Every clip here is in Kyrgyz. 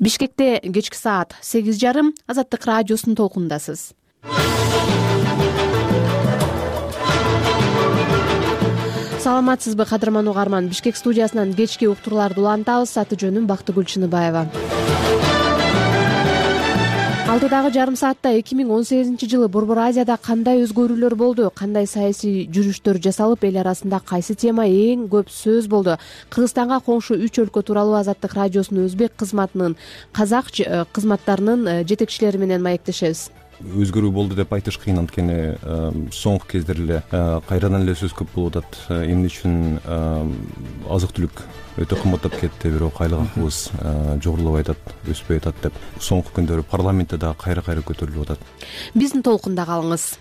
Бишкекте кечки саат 8:30 Азаттык радиосунун толкундасыз. Саламатсызбы кадырман угарман? Бишкек студиясынан кечки уктурууларды улантабыз. Аты жөнүм Бактыгүл Чыныбаева. Алдыдагы жарым саатта 2018-жылы Борбор Азияда кандай өзгөрүүлөр болду, кандай саясий жүрүштөр жасалып, эл арасында кайсы тема эң көп сөз болду? Кыргызстанга коңшу 3 өлкө тууралуу Азаттык радиосунун өзбек кызматынын казак кызматтарынын жетекчилери менен маектешебиз. Өзгөрүү болду деп айтыш кыйын, анткени соңку кездер эле кайрадан эле сөз көп болуп атат. Эмне үчүн азык-түлүк өтө кымбаттап кетти, бирок айлык акыбыз жогорулабай атат, өспөй атат деп соңку күндөрү парламентте дагы кайра көтөрүлүп атат. Биздин толкунда калыңыз.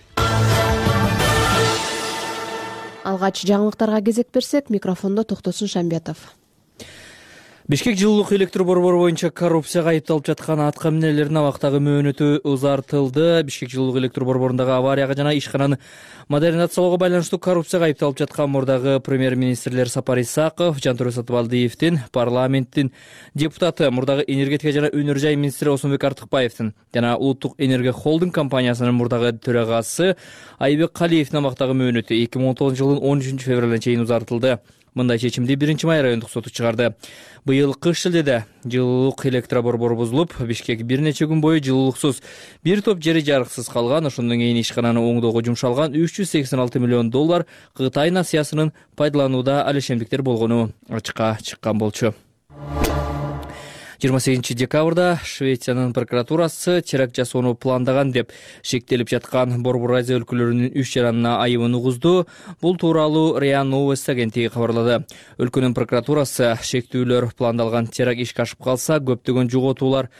Алгач жаңылыктарга кезек берсек, микрофондо Токтосун Шамбетов. Бишкек жылуулук электр борбору боюнча коррупцияга айыпталып жаткан атка минелердин абактагы мөөнөтү узартылды. Бишкек жылуулук электр борборундагы аварияга жана ишкананы модернизациялоого байланыштуу коррупцияга айыпталып жаткан мурдагы премьер-министрлер Сапар Исаков, Жантөрө Сатыбалдиевдин, парламенттин депутаты, мурдагы энергетика жана өнөр жай министри Осмонбек Артыкбаевдин жана Улуттук энергия холдинг компаниясынын мурдагы төрагасы Айбек Калиевдин абактагы мөөнөтү 2019-жылдын 13 февралына чейин узартылды. Мындай чечимди 1-Май райондук соту чыгарды. Быйыл кыш шилдеде жылуулук электр борбору бузулуп, Бишкек бир нече күн бою жылуулуксуз, бир топ жери жарыксыз калган. Ошондон кийин ишкананы оңдоого жумшалган $386 миллион Кытай насыясынын пайдаланууда алешемдиктер болгону ачыкка чыккан болчу. 28 декабрда Швециянын прокуратурасы теракт жасоону пландаган деп шектелип жаткан Борбор Азия өлкөлөрүнүн 3 жаранына айыбын угузду. Бул тууралуу РИА Новости агенттиги кабарлады. Өлкөнүн прокуратурасы шектүүлөр пландалган теракт ишке ашып калса, көптөгөн жоготуулар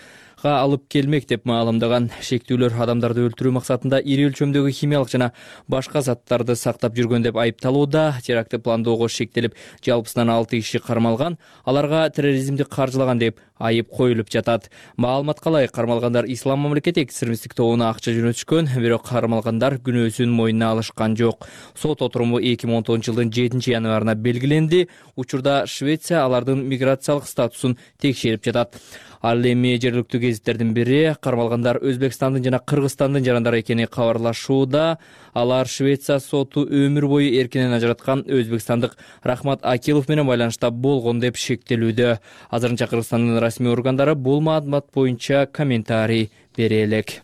алып келмек деп маалымдаган. Шектүүлөр адамдарды өлтүрүү максатында ири өлчөмдөгү химиялык жана башка заттарды сактап жүргөн деп айыпталууда. Терактты пландоого шектелип, жалпысынан 6 киши кармалган. Аларга терроризмди каржылаган деп айып коюлуп жатат. Маалыматка ылайык, кармалгандар Ислам мамлекети экстремисттик тобуна акча жөнөтүшкөн, бирок кармалгандар күнөөсүн мойнуна алышкан жок. Сот отуруму 2019-жылдын 7 январына белгиленди. Учурда Швеция алардын миграциялык статусун текшерип жатат. Ал эми жергиликтүү гезиттердин бири кармалгандар Өзбекстандын жана Кыргызстандын жарандары экени кабарлашууда. Алар Швеция соту өмүр бою эркинен ажыраткан өзбекстандык Рахмат Акилов менен байланышта болгон деп шектелүүдө. Азырынча Кыргызстандын расмий органдары бул маалымат боюнча комментарий бере элек.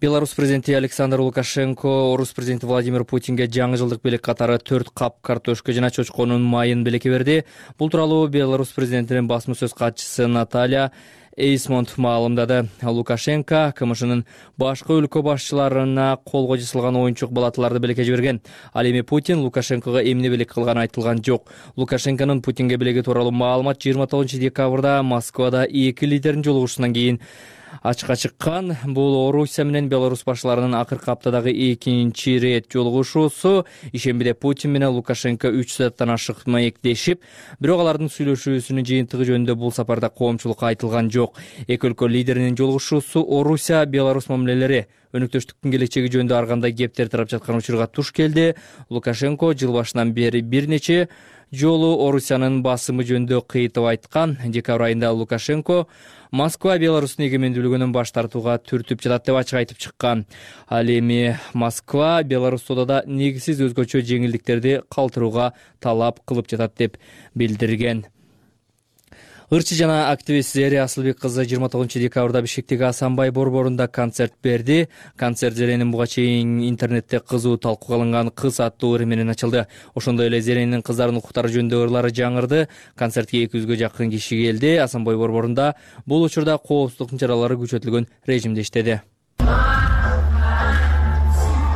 Беларусь президенти Александр Лукашенко орус президенти Владимир Путинге жаңы жылдык белек катары 4 кап картошка жана чочконун майын белекке берди. Бул тууралуу Беларусь президентинин басма сөз катчысы Наталья Эйсмонт маалымдады. Лукашенко КМШнын башка өлкө башчыларына колго жасалган оюнчук балаталарды белекке жиберген. Ал эми Путин Лукашенкого эмне белек кылганы айтылган жок. Лукашенконун Путинге белеги тууралуу маалымат 29 декабрда Москвада 2 лидердин жолугушуунан кийин ачыкка чыккан. Бул Орусия менен Беларусь башчыларынын акыркы аптадагы 2-чи рет жолугушуусу. Ишембиде Путин менен Лукашенко 3 сааттан ашык маектешип, бирок алардын сүйлөшүүсүнүн жыйынтыгы жөнүндө бул сапарда коомчулукка айтылган жок. Эки өлкө лидеринин жолугушуусу Орусия Беларусь мамилелери, өнөктөштүктүн келечеги жөнүндө ар кандай кептер тарап жаткан учурга туш келди. Лукашенко жыл башынан бери бир нече жолу Орусиянын басымы жөнүндө кыйтып айткан. Декабрь айында Лукашенко Москва Беларустун эгемендүүлүгүнөн баш тартууга түртүп жатат деп ачык айтып чыккан. Ал эми Москва Беларусь содада негизсиз өзгөчө жеңилдиктерди калтырууга талап кылып жатат деп билдирген. Ырчы жана активист Зере Асылбек кызы 29 декабрда Бишкектеги Асанбай борборунда концерт берди. Концерт Зеренин буга чейин интернетте кызуу талкууга алынган кыз аттуу ыры менен ачылды. Ошондой эле Зеренин кыздардын укуктары жөнүндө ырлары жаңырды. Концертке 200-гө жакын киши келди. Асанбай борборунда бул учурда коопсуздук чаралары күчөтүлгөн режимде иштеди.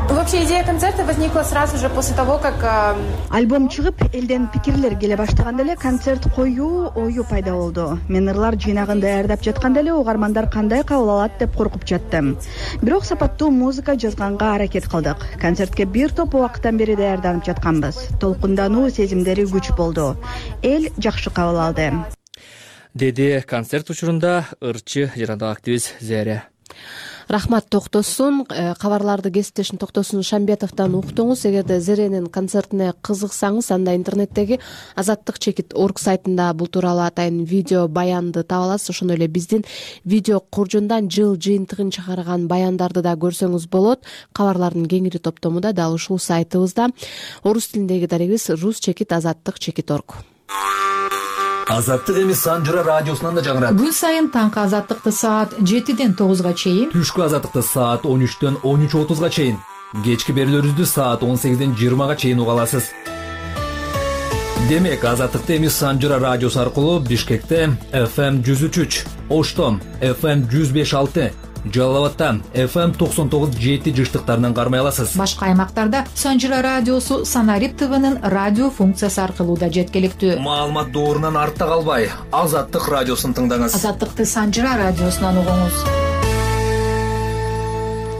Вообще идея концерта возникла сразу же после того, как альбом чыгып, элден пикирлер келе баштаганда эле концерт коюу ою пайда болду. Мен ырлар жыйнагын даярдап жатканда эле угармандар кандай кабыл алат деп коркуп жаттым. Бирок сапаттуу музыка жазганга аракет кылдык. Концертке бир топ убакыттан бери даярданып жатканбыз. Толкундануу сезимдери күч болду. Эл жакшы кабыл алды, деди концерт учурунда ырчы жана активист Зере. Рахмат Токтосун. Кабарларды кесиптешим Токтосун Шамбетовдон уктуңуз. Эгерде Зеренин концертине кызыксаңыз, анда интернеттеги azattik.org сайтында бул тууралуу атайын видео баянды таба аласыз. Ошондой эле биздин видео куржундан жыл жыйынтыгын чыгарган баяндарды да көрсөңүз болот. Кабарлардын кеңири топтому да дал ушул сайтыбызда. Орус тилиндеги дарегибиз rus-azattik.org. Азаттык эми Санжыра радиосунан да жаңырат. Күн сайын таңкы азаттыкты саат 7ден 9га чейин, Түшкү азаттыкты саат 13дөн 13:30га чейин, кечки берүүлөрүбүздү саат 18ден 20га чейин уга аласыз. Демек, азаттыкты эми Санжыра радиосу аркылуу Бишкекте FM 103, Оштон FM 105.6, Жалал-Абадта FM 99.7 жыштыктарынан кармай аласыз. Башка аймактарда Санжыра радиосу Санарип ТВнын радио функциясы аркылуу да жеткиликтүү. Маалымат доорунан артта калбай, Азаттык радиосун тыңдаңыз. Азаттыкты Санжыра радиосунан угуңуз.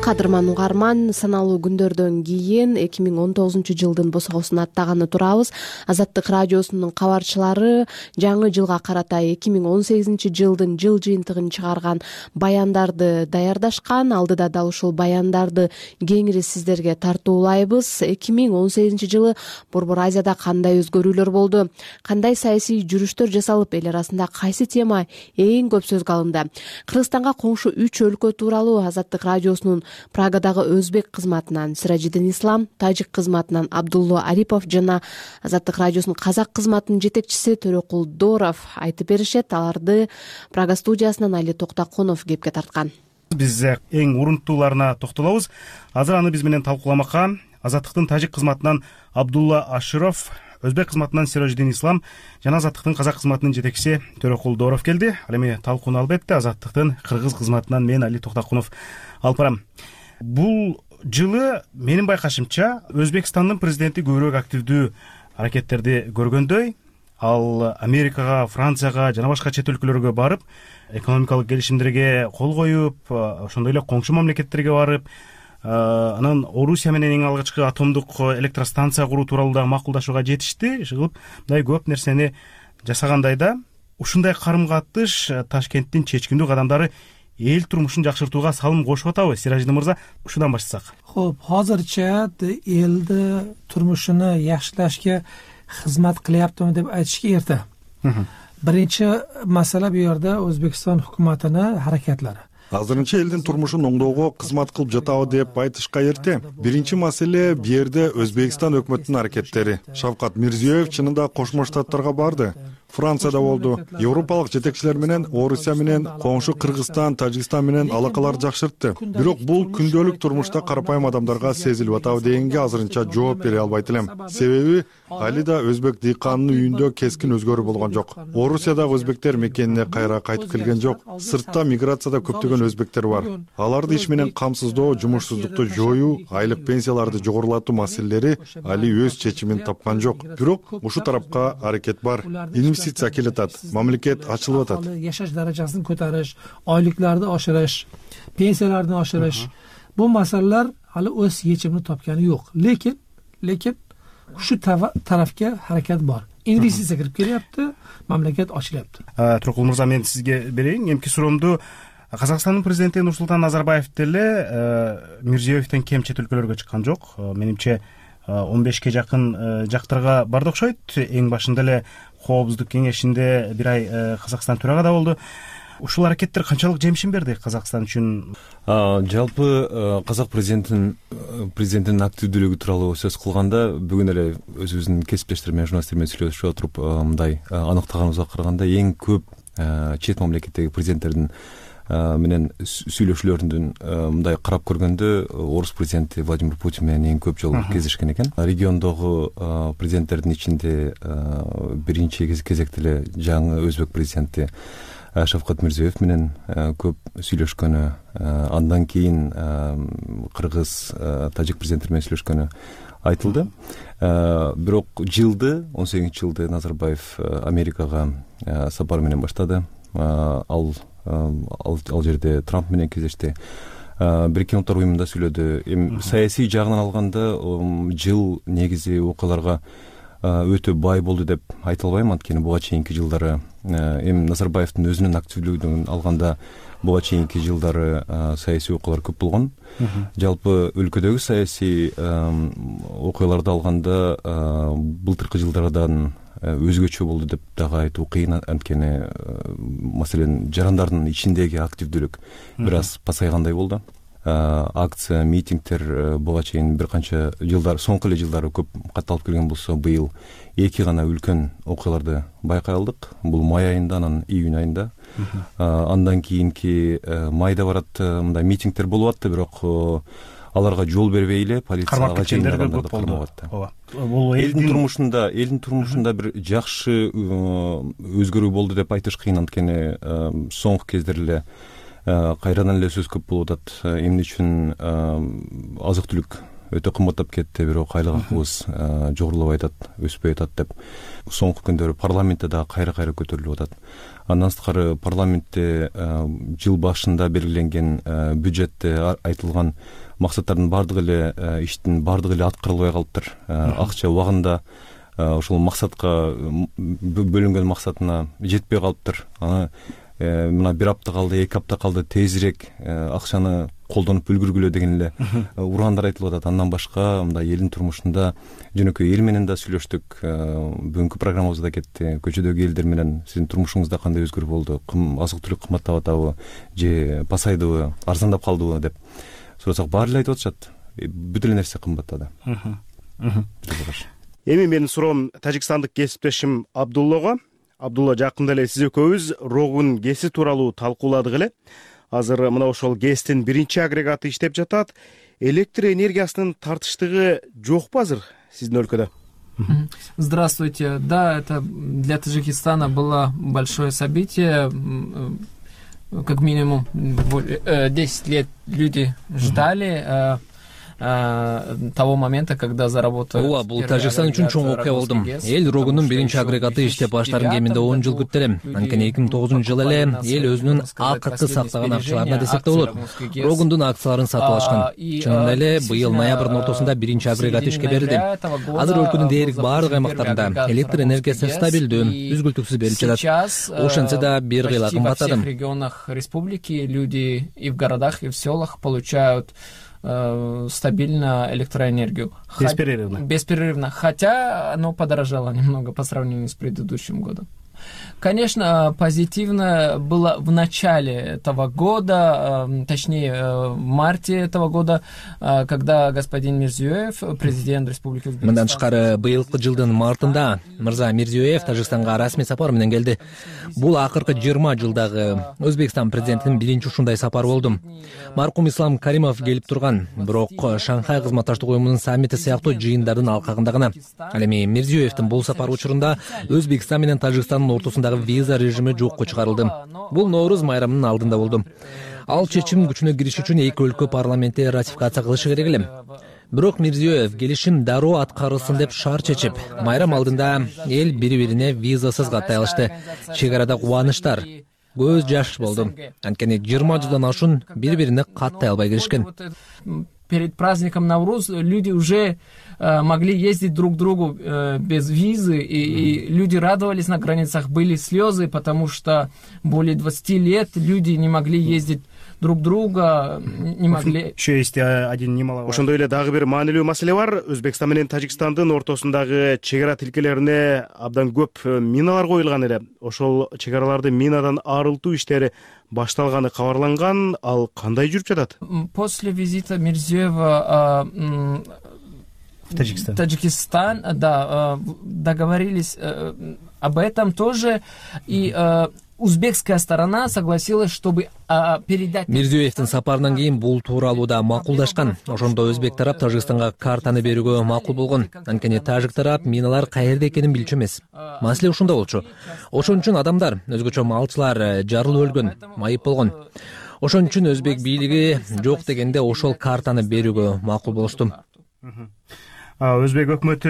Кадырман угарман, саналуу күндөрдөн кийин 2019-жылдын босогосун аттаганы турабыз. Азаттык радиосунун кабарчылары жаңы жылга карата 2018-жылдын жыл жыйынтыгын чыгарган баяндарды даярдашкан. Алдыда дал ушул баяндарды кеңири сиздерге тартуулайбыз. 2018-жылы Борбор Азияда кандай өзгөрүүлөр болду? Кандай саясий жүрүштөр жасалып, эл арасында кайсы тема эң көп сөзгө алынды? Кыргызстанга коңшу 3 өлкө тууралуу Азаттык радиосунун Прагадагы өзбек кызматынан Сиражидин Ислам, тажик кызматынан Абдулло Арипов жана Азаттык радиосунун казак кызматынын жетекчиси Төрөкул Дооров айтып беришет. Аларды Прага студиясынан Али Токтакунов кепке тарткан. Биз эң урунтууларына токтолобуз. Азыр аны биз менен талкууламакка Азаттыктын тажик кызматынан Абдулла Аширов, өзбек кызматынан Сиражидин Ислам жана Азаттыктын казак кызматынын жетекчиси Төрөкул Дооров келди. Ал эми талкууну албетте Азаттыктын кыргыз кызматынан мен Али Токтакунов алып барам. Бул жылы менин байкашымча Өзбекстандын президенти көбүрөөк активдүү аракеттерди көргөндөй. Ал Америкага, Францияга жана башка чет өлкөлөргө барып, экономикалык келишимдерге кол коюп, ошондой эле коңшу мамлекеттерге барып, анан Орусия менен эң алгачкы атомдук электростанция куруу тууралуу да макулдашууга жетишти. Ишигип мындай көп нерсени жасагандай да, ушундай карым-катыш Ташкенттин чечкиндүү кадамдары эл турмушун жакшыртууга салым кошуп атабы? Сиражидин мырза, ушудан баштасак. Хо'p, hozircha elni turmushini yaxshilashga xizmat qilyaptimi deb aytishga erta. Birinchi masala bu yerda O'zbekiston hukumatini harakatlari. Азырынча элдин турмушун оңдоого кызмат кылып жатабы деп айтышка эрте. Биринчи маселе бу жерде Өзбекстан өкмөтүнүн аракеттери. Шавкат Мирзиёев чынында Кошмо Штаттарга барды. Францияда болду. Европалык жетекчилер менен, Орусия менен, коңшу Кыргызстан, Тажикстан менен алакаларды жакшыртты. Бирок бул күндөлүк турмушта карапайым адамдарга сезилип атабы дегенге азырынча жооп бере албайт элем. Себеби али да өзбек дыйканынын үйүндө кескин өзгөрүү болгон жок. Орусиядагы өзбектер мекенине кайра кайтып келген жок. Сыртта миграцияда көптөгөн өзбектер бар. Аларды иш менен камсыздоо, жумушсуздукту жоюу, айлык пенсияларды жогорулатуу маселелери али өз чечимин тапкан жок. Бирок ушу тарапка аракет бар. Инвестиция келип атат, мамлекет ачылып атат. Yashash darajasini ko'tarish, oyliklarni oshirish, pensiyalarni oshirish. Bu masalalar hali o'z yechimini topgani yo'q. Lekin shu tarafga harakat bor. Investitsiya kirib kelyapti, mamlakat ochilyapti. Төрөкул мырза, мен сизге берейин. Эмки суроомду Казакстандын президенти Нурсултан Назарбаев деле Мирзиёевден кем чет өлкөлөргө чыккан жок. Менимче 15ке жакын жактарга барды окшойт. Эң башында эле Коопсуздук кеңешинде бир ай Казакстан төрагада болду. Ушул аракеттер канчалык жемишин берди Казакстан үчүн? Жалпы казак президентинин активдүүлүгү тууралуу сөз кылганда, бүгүн эле өзүбүздүн кесиптештер менен, журналисттер менен сүйлөшүп отуруп мындай аныктаганыбызга караганда, эң көп чет мамлекеттеги президенттердин менен сүйлөшүүлөрүндөн мындай карап көргөндө орус президенти Владимир Путин менен эң көп жолу кездешкен экен. Региондогу президенттердин ичинде биринчи кезекте эле жаңы өзбек президенти Шавкат Мирзиёев менен көп сүйлөшкөнү, андан кийин кыргыз, тажик президенттер менен сүйлөшкөнү айтылды. Бирок 18-жылды Назарбаев Америкага сапар менен баштады. Ал жерде Трамп менен кездешти. Бириккен Улуттар уюмунда сүйлөдү. Саясий жагынан алганда жыл негизи окуяларга өтө бай болду деп айта албайм, анткени буга чейинки жылдары эми Назарбаевдин өзүнүн активдүүлүгүн алганда буга чейинки жылдары саясий окуялар көп болгон. Жалпы өлкөдөгү саясий окуяларды алганда былтыркы жылдардан өзгөчө болду деп дагы айтуу кыйын, анткени маселен жарандардын ичиндеги активдүүлүк бир аз пасайгандай болду. Акция, митингдер буга чейин бир канча жылдар, соңку эле жылдары көп катталып келген болсо, быйыл эки гана үлкөн окуяларды байкай алдык. Бул май айында, анан июнь айында. Андан кийинки майда барат мындай митингдер болуп атты, бирок аларга жол бербей эле полицияга чейиндагандарды кармап атты. Бул элдин турмушунда бир жакшы өзгөрүү болду деп айтыш кыйын, анткени соңку кездер эле кайрадан эле сөз көп болуп атат. Эмне үчүн азык түлүк өтө кымбаттап кетти, бирок айлык акыбыз жогорулабай атат, өспөй атат деп соңку күндөрү парламентте дагы кайра көтөрүлүп атат. Андан сырткары парламентте жыл башында белгиленген бюджетте айтылган максаттардын бардыгы эле, иштин бардыгы эле аткарылбай калыптыр. Акча убагында ошол максатка бөлүнгөн максатына жетпей калыптыр. Мына бир апта калды, эки апта калды, тезирээк акчаны колдонуп үлгүргүлө деген эле ураандар айтылып атат. Андан башка мындай элдин турмушунда жөнөкөй эл менен да сүйлөштүк. Бүгүнкү программабызда кетти. Көчөдөгү элдер менен сиздин турмушуңузда кандай өзгөрүү болду? Азык түлүк кымбаттап атабы же пасайдыбы, арзандап калдыбы деп сурасак, баары эле айтып атышат. Бүт эле нерсе кымбаттады. Эми менин суроом тажикстандык кесиптешим Абдуллага. Абдулла, жакында эле сиз экөөбүз Рогун ГЭСи тууралуу талкууладык эле. Азыр мына ошол ГЭСтин биринчи агрегаты иштеп жатат. Электр энергиясынын тартыштыгы жокпу азыр сиздин өлкөдө? Здравствуйте. Да, это для Таджикистана было большое событие. Как минимум 10 лет люди ждали того момента, когда заработает. Ооба, бул Тажикстан үчүн чоң окуя болду. Эл Рогунун биринчи агрегаты иштеп баштарын кеминде 10 жыл күттү эле. Анткени 2009-жылы эле эл өзүнүн акыркы сактаган акчаларына десек да болот, Рогундун акцияларын сатып алышкан. Чынында эле быйыл ноябрдын ортосунда биринчи агрегат ишке берилди. Азыр өлкөнүн дээрлик баардык аймактарында электр энергиясы стабилдүү, үзгүлтүксүз берилип жатат. Ошентсе да бир кыйла кымбаттады. Во всех регионах республики люди и в городах, и в селах получают стабильно электроэнергию. Беспрерывно. Беспрерывно. Хотя оно подорожало немного по сравнению с предыдущим годом. Конечно, позитивно было в начале этого года, точнее в марте этого года, когда господин Мирзиёев, президент Республики Узбекистан. Мындан тышкары быйылкы жылдын мартында мырза Мирзиёев Тажикстанга расмий сапар менен келди. Бул акыркы 20 жылдагы Өзбекстан президентинин биринчи ушундай сапары болду. Маркум Ислам Каримов келип турган, бирок Шанхай кызматташтык уюмунун саммити сыяктуу жыйындардын алкагында гана. Ал эми Мирзиёевдин бул сапары учурунда Өзбекстан менен Тажикстандын ортосундагы виза режими жокко чыгарылды. Бул Ноорuz майрамынын алдында болду. Ал чечим күчүнө кириш үчүн эки өлкө парламентте ратификация кылышы керек эле. Бирок Мирзиёев келишим дароо аткарылсын деп шарт чечип, майрам алдында эл бири-бирине визасыз каттай алышты. Чек арада кубанычтар, көз жаш болду. Анткени 20 жылдан ашуун бири-бирине каттай албай киришкен. Перед праздником Навруз люди уже могли ездить друг к другу без визы, и люди радовались на границах, были слезы, потому что более 20 лет люди не могли ездить друг друга, не могли. Еще есть один немаловажный. Ошондой эле дагы бир маанилүү маселе бар. Өзбекстан менен Тажикстандын ортосундагы чек ара тилкелерине абдан көп миналар коюлган эле. Ошол чек араларды минадан арылтуу иштери башталганы кабарланган. Ал кандай жүрүп жатат? После визита Мирзиёева в Таджикистан, да, договорились об этом тоже, и узбекская сторона согласилась, чтобы передать. Мирзиёевдин сапарынан кийин бул тууралуу да макулдашкан. Ошондо өзбек тарап Тажикстанга картаны берүүгө макул болгон. Анткени тажик тарап миналар каерде экенин билчү эмес. Маселе ушунда болчу. Ошон үчүн адамдар, өзгөчө малчылар жарылып өлгөн, майып болгон. Ошон үчүн өзбек бийлиги жок дегенде ошол картаны берүүгө макул болушту. Өзбек өкмөтү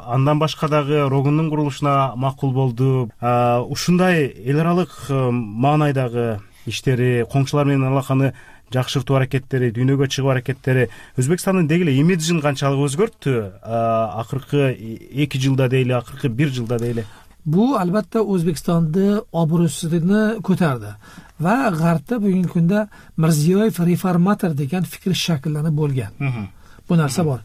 андан башка дагы Рогундун курулушуна макул болду. Ушундай эл аралык маанайдагы иштери, коңшулар менен алаканы жакшыртуу аракеттери, дүйнөгө чыгуу аракеттери Өзбекстандын деги эле имиджин канчалык өзгөрттү акыркы 2 жылда дейли, акыркы 1 жылда дейли? Бул албетте Өзбекстанды обрусуну көтөрдү ва Гарпта бүгүнкү күндө Мирзиёев реформатор деген фикр шакилланып болгон. Бу нерсе бар.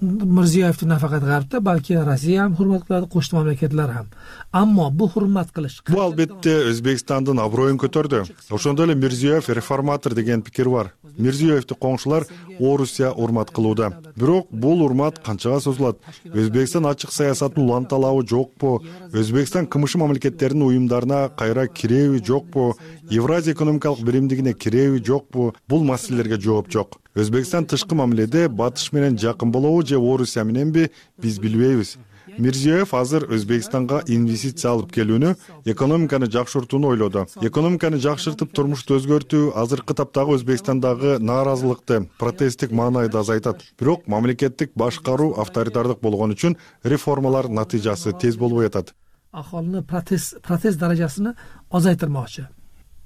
Мирзиёевди нафакат Гарпта, балки Россия ham hurmat qiladi, qo'shni mamlakatlar ham. Ammo bu hurmat qilish бул албетте Өзбекстандын аброюн көтөрдү. Ошондой эле Мирзиёев реформатор деген пикир бар. Мирзиёевди коңшулар Орусия урмат кылууда. Бирок бул урмат канчага созулат? Өзбекстан ачык саясатын уланталабы жокпу? Өзбекстан КМШ мамлекеттеринин уюмдарына кайра киреби жокпу? Евразия экономикалык биримдигине киреби жокпу? Бул маселелерге жооп жок. Өзбекстан тышкы мамиледе батыш менен жакын болобу же Орусия мененби, биз билбейбиз. Мирзиёев азыр Өзбекстанга инвестиция алып келүүнү, экономиканы жакшыртууну ойлоду. Экономиканы жакшыртып, турмушту өзгөртүү азыркы таптагы Өзбекстандагы нааразылыкты, протесттик маанайды азайтат. Бирок мамлекеттик башкаруу авторитардык болгон үчүн реформалар натыйжасы тез болбой атат. Аholini protest darajasini ozaytirmoqchi.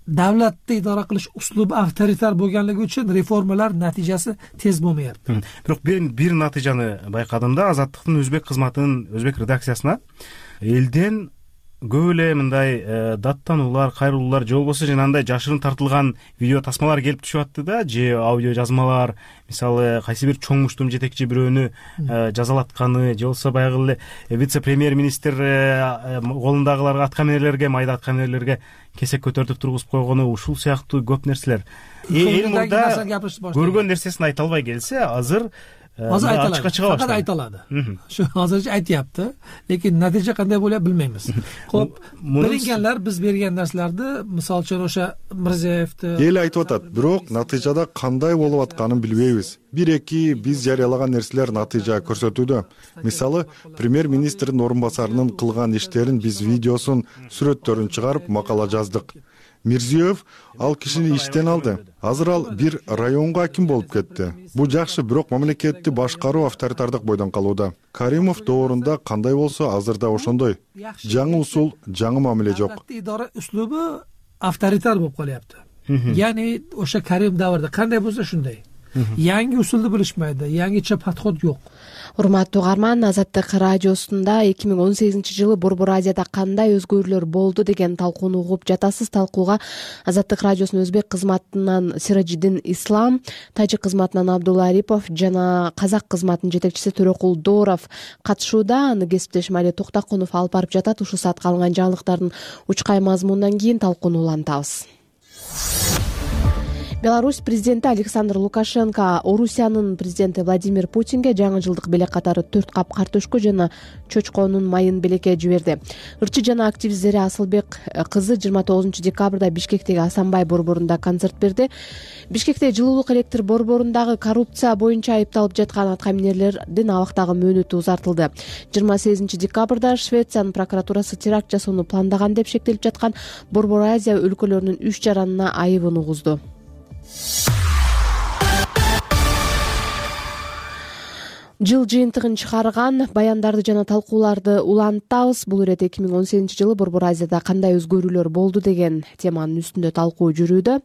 Davlatni idora qilish uslubi avtoritar bo'lganligi uchun reformalar natijasi tez bo'lmayapti. Бирок бир натыйжаны байкадым да, Азаттыктын өзбек кызматынын өзбек редакциясына элден көп эле мындай даттануулар, кайрылуулар же болбосо жанагындай жашырын тартылган видео тасмалар келип түшүп атты да, же аудио жазмалар, мисалы кайсы бир чоң муштум жетекчи бирөөнү жазалатканы, же болбосо баягы эле вице-премьер-министр колундагыларга, аткаминерлерге, майда аткаминерлерге кесек көтөртүп тургузуп койгону, ушул сыяктуу көп нерселер. Эл мурда көргөн нерсесин айта албай келсе, азыр ачыкка чыга баштады. Айта алады. Şu азырча айтыпты, lekin натыйжа кандай болот билбейбиз. Хоп, берилгенler биз берген нерселерди, мисалы үчүн ошо Мирзиёевди эл айтып атат, бирок натыйжада кандай болуп атканын билбейбиз. Бир-эки биз жарыялаган нерселер натыйжа көрсөтүүдө. Мисалы, премьер-министрдин орун басарынын кылган иштерин биз видеосун, сүрөттөрүн чыгарып макала жаздык. Мирзиёев ал кишини иштен алды. Азыр ал бир районго аким болуп кетти. Бул жакшы, бирок мамлекетти башкаруу авторитардык бойдон калууда. Каримов доорунда кандай болсо, азырда ошондой. Жаңы усул, жаңы мамиле жок. Идара услубу авторитар болуп калыпты. Яни ошо Карим давырда кандай болсо ошондой. Yangi usuldu bilishmaydi, yangicha подход жок. Урматтуу угарман, Азаттык радиосунда 2018-жылы Борбор Азияда кандай өзгөрүүлөр болду деген талкууну угуп жатасыз. Талкууга Азаттык радиосунун өзбек кызматынан Сиражидин Ислам, тажик кызматынан Абдулла Арипов жана казак кызматынын жетекчиси Төрөкул Дооров катышууда. Аны кесиптешим Али Токтокунов алып барып жатат. Ушул саатка алынган жаңылыктардын учкай мазмунунан кийин талкууну улантабыз. Беларусь президенти Александр Лукашенко Орусиянын президенти Владимир Путинге жаңы жылдык белек катары 4 кап картөшкө жана чочконун майын белекке жиберди. Ырчы жана активист Зере Асылбек кызы 29 декабрда Бишкектеги Асанбай борборунда концерт берди. Бишкекте жылуулук электр борборундагы коррупция боюнча айыпталып жаткан аткаминерлердин абактагы мөөнөтү узартылды. 28 декабрда Швециянын прокуратурасы теракт жасоону пландаган деп шектелип жаткан Борбор Азия өлкөлөрүнүн 3 жаранына айыбын угузду. Жыл жыйынтыгын чыгарган баяндарды жана талкууларды улантабыз. Бул ирет 2018-жылы Борбор Азияда кандай өзгөрүүлөр болду деген теманын үстүндө талкуу жүрүүдө.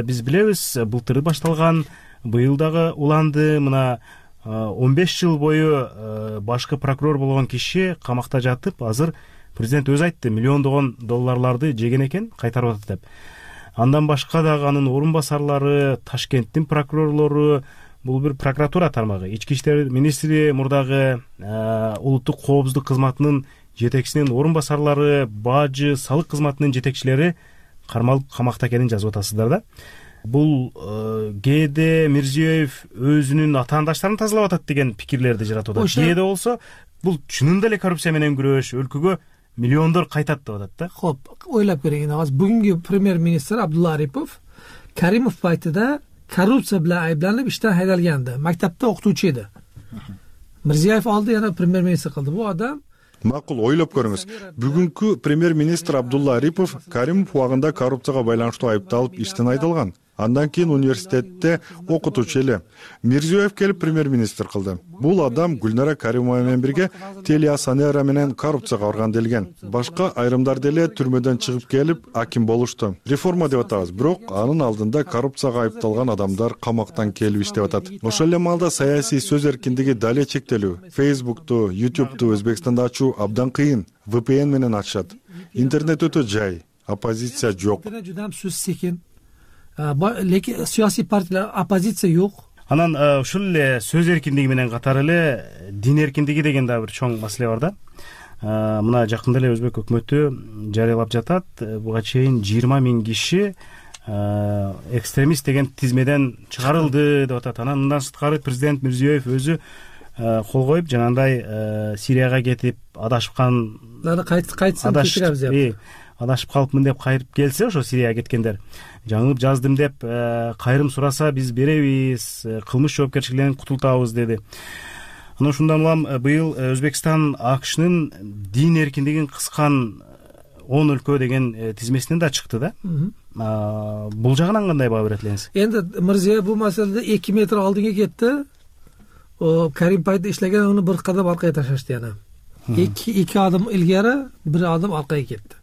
Биз билебиз, былтыр башталган, быйыл дагы уланды. Мына 15 жыл бою башкы прокурор болгон киши камакта жатып, азыр президент өзү айтты, миллиондогон долларларды жеген экен, кайтарып атат деп. Андан башка дагы анын орун басарлары, Ташкенттин прокурорлору, бул бир прокуратура тармагы, ички иштер министри, мурдагы улуттук коопсуздук кызматынын жетекчисинин орун басарлары, бажы, салык кызматынын жетекчилери кармалып камакта экенин жазып атасыздар да. Бул кээде Мирзиёев өзүнүн атаандаштарын тазалап атат деген пикирлерди жаратып атат. Кээде болсо бул чынында эле коррупция менен күрөш, өлкөгө миллиондор кайтат деп атат да. Хоп, ойлоп көрөйүн. Азыр бүгүнкү премьер-министр Абдулла Арипов Каримов пайтыда коррупция bilan ayblанып иштен haydalgandi. Maktabda o'qituvchi edi. Mirziyoyev oldi, yana pремьер-министр qildi. Bu odam Макул, ойлоп көрүңүз. Бүгүнкү премьер-министр Абдулла Арипов Каримов убагында коррупцияга байланыштуу айыпталып иштен айдалган. Андан кийин университетте окутуучу эле. Мирзиёев келип премьер-министр кылды. Бул адам Гүлнара Каримова менен бирге Телеасанера менен коррупцияга барган делген. Башка айрымдар деле түрмөдөн чыгып келип аким болушту. Реформа деп атабыз, бирок анын алдында коррупцияга айыпталган адамдар камактан келип иштеп атат. Ошол эле маалда саясий сөз эркиндиги дале чектелүү. Facebook'ту, YouTube'ту Өзбекстанда ачуу абдан кыйын. VPN менен ачышат. Интернет өтө жай, оппозиция жок. Жудам сөз секин. Лекин саясий партиялар оппозиция жок. Анан ушул эле сөз эркиндиги менен катары эле дин эркиндиги деген да бир чоң маселе бар да. Мына жакында эле Өзбек өкмөтү жарыялап жатат. Буга чейин 20 000 киши экстремист деген тизмеден чыгарылды деп атат. Анан мындан сырткары президент Мирзиёев өзү кол коюп жанагындай Сирияга кетип адашкан адашып калыпмын деп кайтып келсе, ошо Сирияга кеткендер жаңылып жаздым деп кайрым сураса биз беребиз, кылмыш жоопкерчилигинен кутултабыз деди. Анан ушундан улам быйыл Өзбекстан АКШнын дин эркиндигин кыскан 10 өлкө деген тизмесинен да чыкты да. Бул жагынан кандай баа берет элеңиз? Энди Мирзиёев бул маселеде 2 метр алдыга кетти. Каримпайда иштеген аны bir кадам аркага ташашты яна. 2 адым илгери, 1 адым аркага кетти.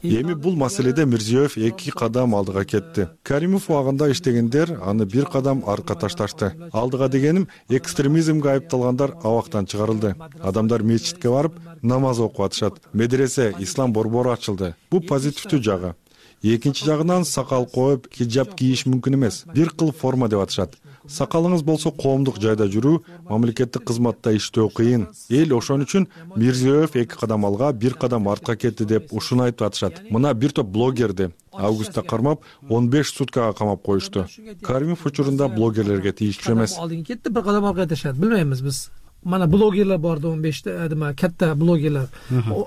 Эми бул маселеде Мирзиёев 2 кадам алдыга кетти. Каримов убагында иштегендер аны 1 кадам арка ташташты. Алдыга дегеним экстремизмге айыпталгандар абактан чыгарылды. Адамдар мечитке барып намаз окуп атышат. Медресе, ислам борбору ачылды. Бул позитивдүү жагы. Экинчи жагынан сакал коюп хиджаб кийиш мүмкүн эмес. Бир кыл форма деп атышат. Сакалыңыз болсо коомдук жайда жүрүү, мамлекеттик кызматта иштөө кыйын. Эл ошон үчүн Мирзиёев 2 кадам алга, 1 кадам артка кетти деп ушуну айтып атышат. Мына бир топ блогерди августта кармап 15 суткага камап коюшту. Каримов учурунда блогерлерге тийиштүү эмес. Алдыга кетти, 1 кадам аркага ташат. Билбейбиз биз. Mana blogerlar bordi 15 nima katta blogerlar.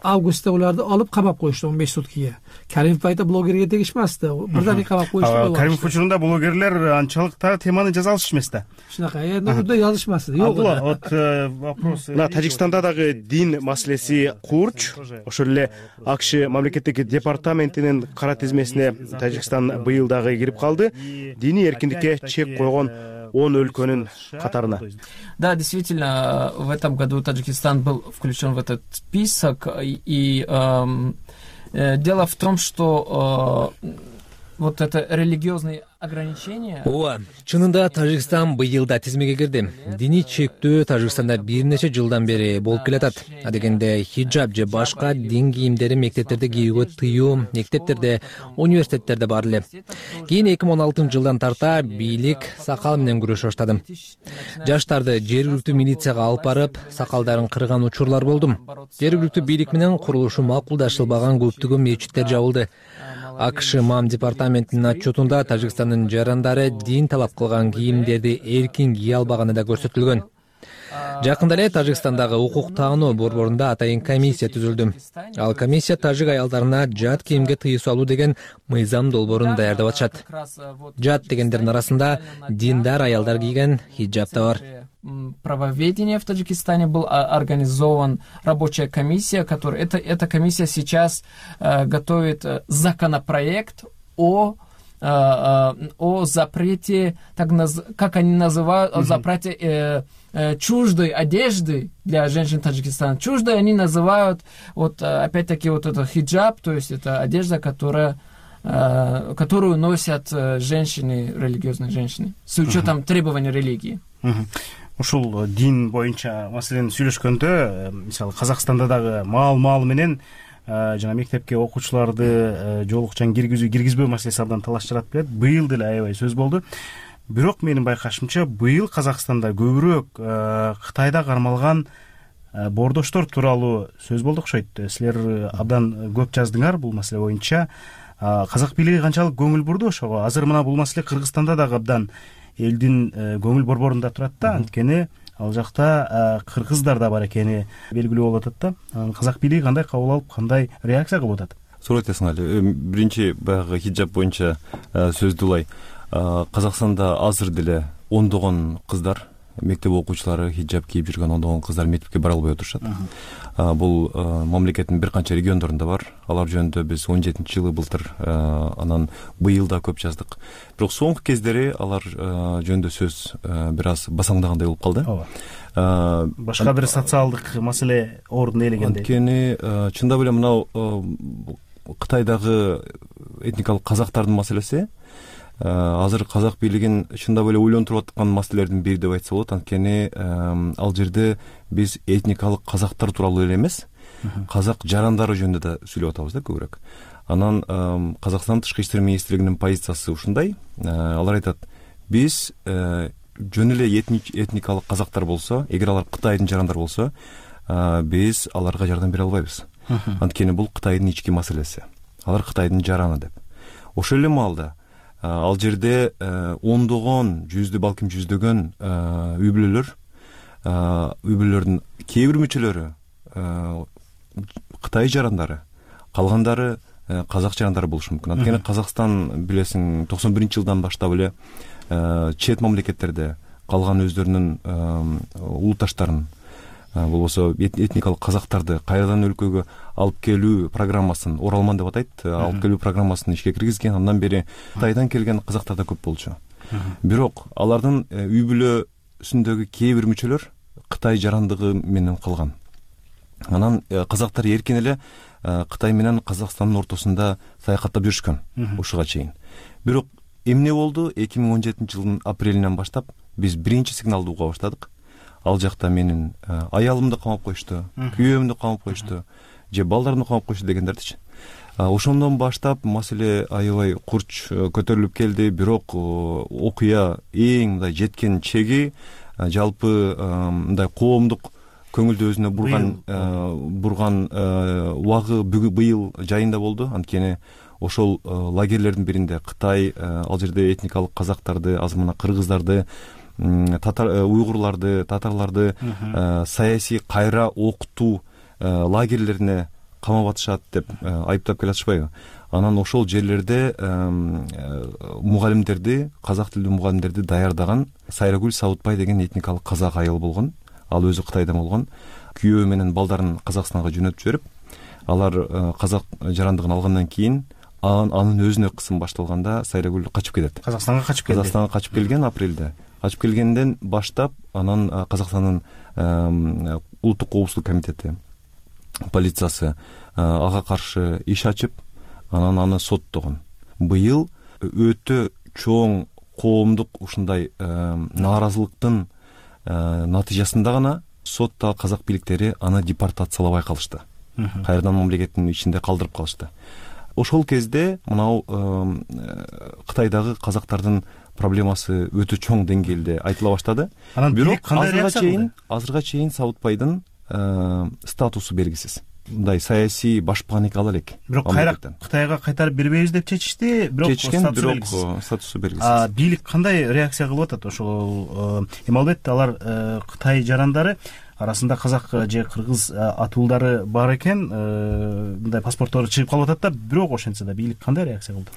Avgustda ularni olib qamab qo'yishdi 15 sutkaga. Karimov paytda blogerga tegishmasdi. Birdan qamab qo'yishdi. Karimov uchunda blogerlar anchalik temani jaza olish emas da. Shunaqa, endi unda yozishmasdi. Yo'q. Вот вопрос. На Тажикстанда дагы дин маселеси курч. Ошол эле АКШ мамлекеттик департаментинин кара тизмесине Тажикстан быйыл дагы кирип калды. Диний эркиндикке чек койгон 10 өлкөнүн катарына. Да, действительно, в этом году Таджикистан был включен в этот список. И дело в том, что вот это религиозные ограничения. Ооба, чынында Тажикстан быйылда тизмеге кирди. Диний чектөө Тажикстанда бир нече жылдан бери болуп келатат. Адегенде хиджаб же башка дин кийимдери мектептерде кийүүгө тыюу, мектептерде, университеттерде бар эле. Кийин 2016-жылдан тарта бийлик сакал менен күрөшө баштады. Жаштарды жергиликтүү милицияга алып барып, сакалдарын кырган учурлар болду. Жергиликтүү бийлик менен курулушу макулдашылбаган көптөгөн мечиттер жабылды. АКШ МАМ департаментинин отчетунда Тажикстандын жарандары дин талап кылган кийимдерди эркин кие албаганы да көрсөтүлгөн. Жакында эле Тажикстандагы укук таануу борборунда атайын комиссия түзүлдү. Ал комиссия тажик аялдарына жат кийимге тыюу салуу деген мыйзам долбоорун даярдап атышат. Жат дегендердин арасында диндар аялдар кийген хиджаб да бар. Правоведения в Таджикистане был организован рабочая комиссия, которая эта комиссия сейчас готовит законопроект о запрете, как они называют, о запрете чуждой одежды для женщин Таджикистана. Чуждой они называют вот опять-таки вот это хиджаб, то есть это одежда, которую носят женщины, религиозные женщины, с учетом требований религии. Ушул дин боюнча маселени сүйлөшкөндө, мисалы Казакстанда дагы маал менен жана мектепке окуучуларды жолукчан киргизбөө маселеси абдан талаш жаратып келет. Быйыл деле аябай сөз болду. Бирок менин байкашымча быйыл Казакстанда көбүрөөк Кытайда кармалган боордоштор тууралуу сөз болду окшойт. Силер абдан көп жаздыңар бул маселе боюнча. Казак бийлиги канчалык көңүл бурду ошого? Азыр мына бул маселе Кыргызстанда дагы абдан элдин көңүл борборунда турат да, анткени ал жакта кыргыздар да бар экени белгилүү болуп атат да. Казак бийлиги кандай кабыл алып, кандай реакция кылып атат? Сурайт Эсенали, биринчи баягы хиджаб боюнча сөздү улай. Казакстанда азыр деле ондогон кыздар мектеп окуучулары хиджаб кийип жүргөн ондогон кыздар мектепке бара албай отурушат. Бул мамлекеттин бир канча региондорунда бар. Алар жөнүндө биз 17-жылы былтыр, анан быйыл да көп жаздык. Бирок соңку кездери алар жөнүндө сөз бир аз басаңдагандай болуп калды. Башка бир социалдык маселе ордун ээлегендей. Анткени чындап эле мынау Кытайдагы этникалык казактардын маселеси азыр казак бийлигин чындап эле ойлонтуруп аткан маселелердин бири деп айтса болот. Анткени ал жерде биз этникалык казактар тууралуу эле эмес, казак жарандары жөнүндө да сүйлөп атабыз да көбүрөөк. Анан Казакстан Тышкы иштер министрлигинин позициясы ушундай. Алар айтат, биз жөн эле этникалык казактар болсо, эгер алар Кытайдын жарандары болсо, биз аларга жардам бере албайбыз. Анткени бул Кытайдын ички маселеси. Алар Кытайдын жараны деп. Ошол эле маалда ал жерде ондогон, балким жүздөгөн үй-бүлөлөрдүн кээ бир мүчөлөрү Кытай жарандары, калгандары казак жарандары болушу мүмкүн. Анткени Казакстан билесиң 91-жылдан баштап эле чет мамлекеттерде калган өздөрүнүн улутташтарын, болбосо этникалык казактарды кайрадан өлкөгө алып келүү программасын, Оралман деп атайт, алып келүү программасын ишке киргизген. Андан бери Кытайдан келген казактар да көп болчу. Бирок алардын үй-бүлөсүндөгү кээ бир мүчөлөр Кытай жарандыгы менен калган. Анан казактар эркин эле Кытай менен Казакстандын ортосунда саякаттап жүрүшкөн ушуга чейин. Бирок эмне болду? 2017-жылдын апрелинен баштап биз биринчи сигналды уга баштадык. Ал жакта менин аялымды камап коюшту, күйөөмдү камап коюшту, же балдарымды камап коюшту дегендердичи. Ошондон баштап маселе аябай курч көтөрүлүп келди. Бирок окуя эң мындай жеткен чеги жалпы мындай коомдук көңүлдү өзүнө бурган убагы быйыл жайында болду. Анткени ошол лагерлердин биринде Кытай ал жерде этникалык казактарды, азыр мына кыргыздарды, уйгурларды, татарларды саясий кайра окутуу лагерлерине камап атышат деп айыптап келатышпайбы? Анан ошол жерлерде мугалимдерди, казак тилдүү мугалимдерди даярдаган Сайрагүл Сабытбай деген этникалык казак айыл болгон. Ал өзү Кытайдан болгон. Күйөө менен балдарын Казакстанга жөнөтүп жиберип, алар казак жарандыгын алгандан кийин анын өзүнө кысым башталганда Сайрагүл качып кетет. Казакстанга качып келди. Казакстанга качып келген апрелде. Качып келгенден баштап анан Казакстандын улуттук коопсуздук комитети, полициясы ага каршы иш ачып, анан аны соттогон. Быйыл өтө чоң коомдук ушундай нааразылыктын натыйжасында гана сотто казак бийликтери аны депортациялабай калышты. Кайрадан мамлекеттин ичинде калдырып калышты. Ошол кезде мынау Кытайдагы казактардын проблемасы өтө чоң деңгээлде айтыла баштады. Бирок азырга чейин Сабытбайдын статусу белгисиз. Мындай саясий башбаган эки ала элек. Бирок Кытайга кайтарып бербейбиз деп чечишти, бирок статусу белгисиз. Бийлик кандай реакция кылып атат? Ошол эми албетте алар Кытай жарандары арасында казак же кыргыз атуулдары бар экен, мындай паспорттору чыгып калып атат да, бирок ошентсе да бийлик кандай реакция кылды?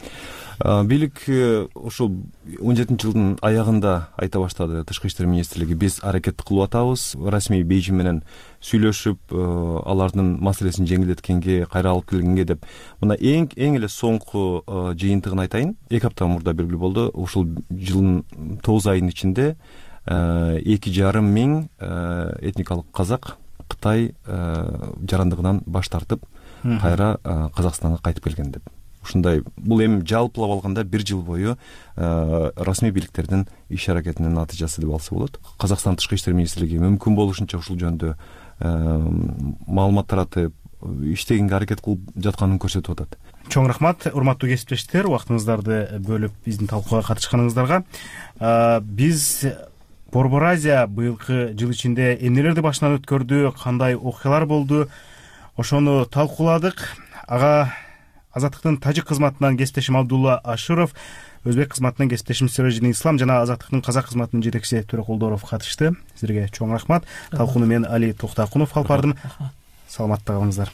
Бийлик ошол 17-жылдын аягында айта баштады. Тышкы иштер министрлиги биз аракет кылып атабыз, расмий Бейжиң менен сүйлөшүп, алардын маселесин жеңилдеткенге, кайра алып келгенге деп. Мына эң эле соңку жыйынтыгын айтайын. 2 апта мурда белгилүү болду. Ушул жылдын 9 айынын ичинде 2,5 миң этникалык казак Кытай жарандыгынан баш тартып, кайра Казакстанга кайтып келген деп. Ушундай, бул эми жалпылап алганда 1 жыл бою расмий бийликтердин иш аракетинин натыйжасы деп алса болот. Казакстан Тышкы иштер министрлиги мүмкүн болушунча ушул жөнүндө маалымат таратып, иштегенге аракет кылып жатканын көрсөтүп атат. Чоң рахмат, урматтуу кесиптештер, убактыңыздарды бөлүп биздин талкууга катышканыңыздарга. Биз Борбор Азия быйылкы жыл ичинде эмнелерди башынан өткөрдү, кандай окуялар болду, ошону талкууладык. Ага Азаттыктын тажик кызматынан кесиптешим Абдулла Аширов, өзбек кызматынан кесиптешим Сиражидин Ислам жана Азаттыктын казак кызматынын жетекчиси Төрөкулдоров катышты. Силерге чоң рахмат. Талкууну мен Али Токтакунов алып бардым. Саламатта калыңыздар.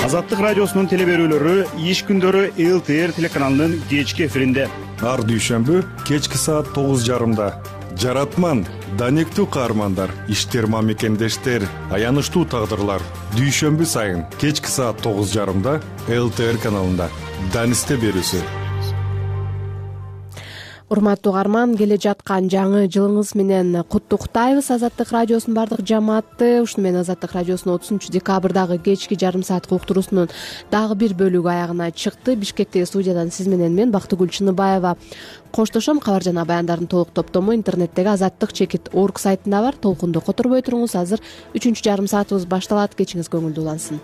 Азаттык радиосунун теле берүүлөрү иш күндөрү ЛТР телеканалынын кечки эфиринде. ар дүйшөмбү кечки саат 9:30. Жаратман, данектүү каармандар, иштерма мекендештер, аянычтуу тагдырлар. Дүйшөмбү сайын кечки саат 9:30 ЛТР каналында. Данисте берүүсү. Урматтуу угарман, келе жаткан жаңы жылыңыз менен куттуктайбыз Азаттык радиосунун бардык жамаатты. Ушуну менен Азаттык радиосунун 30 декабрдагы кечки жарым саат уктуруусунун дагы бир бөлүгү аягына чыкты. Бишкектеги студиядан сиз менен мен Бактыгүл Чыныбаева коштошом. Кабар жана баяндардын толук топтому интернеттеги azattik.org сайтында бар. Толкунду которбой туруңуз. Азыр 3 жарым саатыбыз башталат. Кечиңиз көңүлдүү улансын.